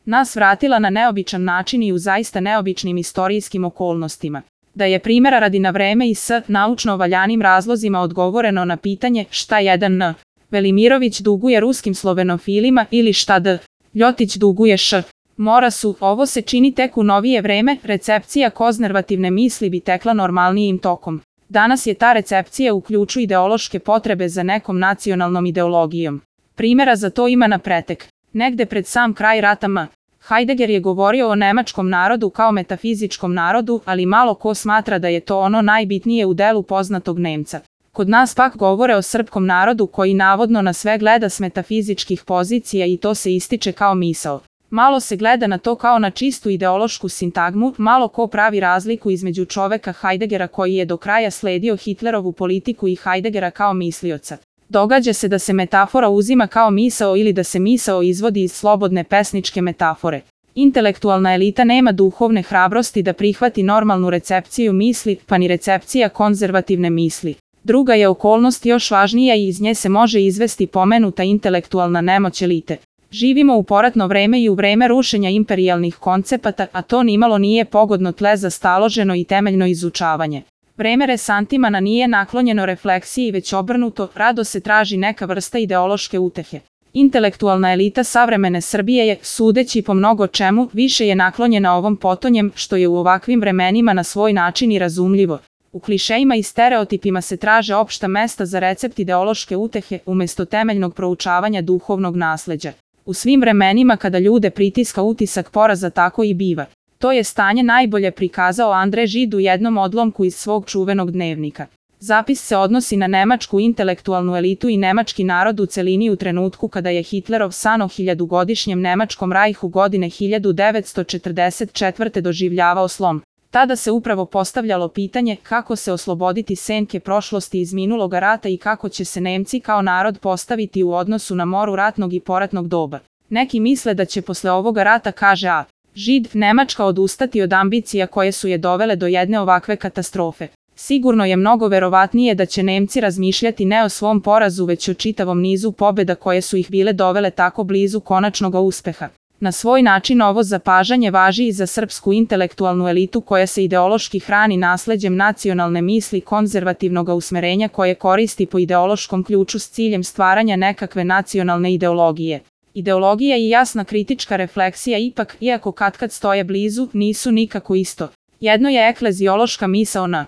nas vratila na neobičan način i u zaista neobičnim istorijskim okolnostima. Da je primjera radi na vreme i s naučno valjanim razlozima odgovoreno na pitanje šta jedan N. Velimirović duguje ruskim slovenofilima ili šta D. Ljotić duguje Š. Morasu, ovo se čini tek u novije vreme, recepcija konzervativne misli bi tekla normalnijim tokom. Danas je ta recepcija u ključu ideološke potrebe za nekom nacionalnom ideologijom. Primjera za to ima na pretek. Negde pred sam kraj rata M. Heidegger je govorio o nemačkom narodu kao metafizičkom narodu, ali malo ko smatra da je to ono najbitnije u delu poznatog Nemca. Kod nas pak govore o srpskom narodu koji navodno na sve gleda s metafizičkih pozicija i to se ističe kao misao. Malo se gleda na to kao na čistu ideološku sintagmu, malo ko pravi razliku između čoveka Heideggera koji je do kraja sledio Hitlerovu politiku i Heideggera kao mislioca. Događa se da se metafora uzima kao misao ili da se misao izvodi iz slobodne pesničke metafore. Intelektualna elita nema duhovne hrabrosti da prihvati normalnu recepciju misli, pa ni recepcija konzervativne misli. Druga je okolnost još važnija i iz nje se može izvesti pomenuta intelektualna nemoć elite. Živimo u poratno vreme i u vreme rušenja imperijalnih koncepata, a to nimalo nije pogodno tle za staloženo i temeljno izučavanje. Vreme resantimana nije naklonjeno refleksiji već obrnuto, rado se traži neka vrsta ideološke utehe. Intelektualna elita savremene Srbije je, sudeći po mnogo čemu, više je naklonjena ovom potonjem, što je u ovakvim vremenima na svoj način i razumljivo. U klišejima i stereotipima se traže opšta mesta za recept ideološke utehe, umesto temeljnog proučavanja duhovnog nasleđa. U svim vremenima kada ljude pritiska utisak poraza tako i biva. To je stanje najbolje prikazao André Gide u jednom odlomku iz svog čuvenog dnevnika. Zapis se odnosi na nemačku intelektualnu elitu i nemački narod u celini u trenutku kada je Hitlerov san o 1000-godišnjem nemačkom rajhu godine 1944. doživljavao slom. Tada se upravo postavljalo pitanje kako se osloboditi senke prošlosti iz minuloga rata i kako će se Nemci kao narod postaviti u odnosu na moru ratnog i poratnog doba. Neki misle da će posle ovoga rata, kaže A. Gide, Nemačka odustati od ambicija koje su je dovele do jedne ovakve katastrofe. Sigurno je mnogo verovatnije da će Nemci razmišljati ne o svom porazu već o čitavom nizu pobjeda koje su ih bile dovele tako blizu konačnog uspeha. Na svoj način ovo zapažanje važi i za srpsku intelektualnu elitu koja se ideološki hrani nasleđem nacionalne misli konzervativnog usmerenja koje koristi po ideološkom ključu s ciljem stvaranja nekakve nacionalne ideologije. Ideologija i jasna kritička refleksija ipak, iako katkad stoje blizu, nisu nikako isto. Jedno je ekleziološka misao N.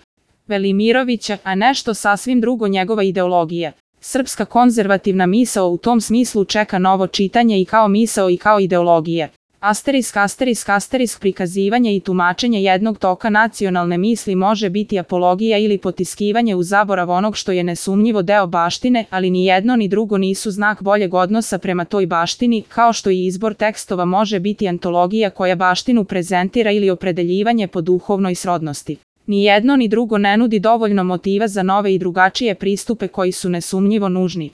Velimirovića, a nešto sasvim drugo njegova ideologija. Srpska konzervativna misao u tom smislu čeka novo čitanje i kao misao i kao ideologija. **** Prikazivanje i tumačenje jednog toka nacionalne misli može biti apologija ili potiskivanje u zaborav onog što je nesumnjivo deo baštine, ali ni jedno ni drugo nisu znak boljeg odnosa prema toj baštini, kao što i izbor tekstova može biti antologija koja baštinu prezentira ili opredeljivanje po duhovnoj srodnosti. Ni jedno ni drugo ne nudi dovoljno motiva za nove i drugačije pristupe koji su nesumnjivo nužni.